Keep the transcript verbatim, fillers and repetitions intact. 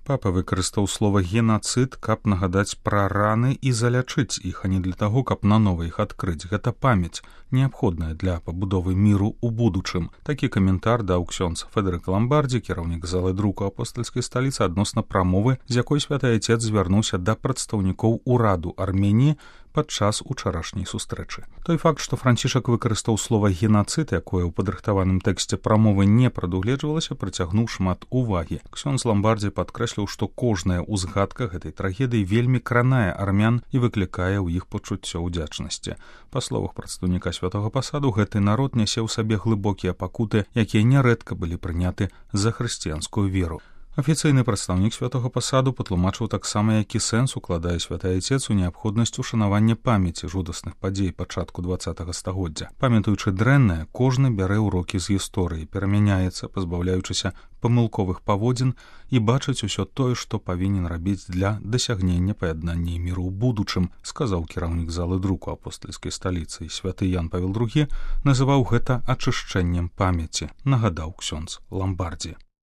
Папа выкарыстаў слова «генацыд», каб нагадаць пра раны і залячыць іх, а не для таго, каб нанова іх адкрыць. Гэта памяць, неабходная для пабудовы міру ў будучым. Такі каментар даў ксёндз Федэрыка Ламбардзі, кіраўнік залы друку апостальскай сталіцы, адносна прамовы, з якой святы айцец звярнуўся да прадстаўнікоў ураду Арменіі падчас учарашняй сустрэчы. Той факт, што Францішак выкарыстаў слова «генацыд», якое ў падрыхтаваным тэксце прамовы не прадугледжвалася, прыцягнуў шмат увагі. Ксёндз Ламбардзі падкрэсліў, што кожная ўзгадка гэтай трагедыі вельмі кранае армян і выклікае ў іх пачуццё ўдзячнасці. Па словах прадстаўніка святога пасаду, гэты народ нясе ў сабе глыбокія пакуты, якія нярэдка былі прыняты за хрысціянскую веру. Афіцыйны прадстаўнік святога пасаду патлумачыў таксама, які сэнс укладае святы айцец у неабходнасць ушанавання памяці жудасных падзей пачатку дваццатага стагоддзя. Памятаючы дрэннае, кожны бярэ ўрокі з гісторыі, перамяняецца, пазбаўляючыся памылковых паводзін і бачыць усё тое, што павінен рабіць для дасягнення паяднання і міру ў будучым, сказаў кіраўнік залы друку апостальскай сталіцы. Святы Ян Павел другі называў гэта ачышчэннем памяці, нагадаў ксёндз Ламбардзі.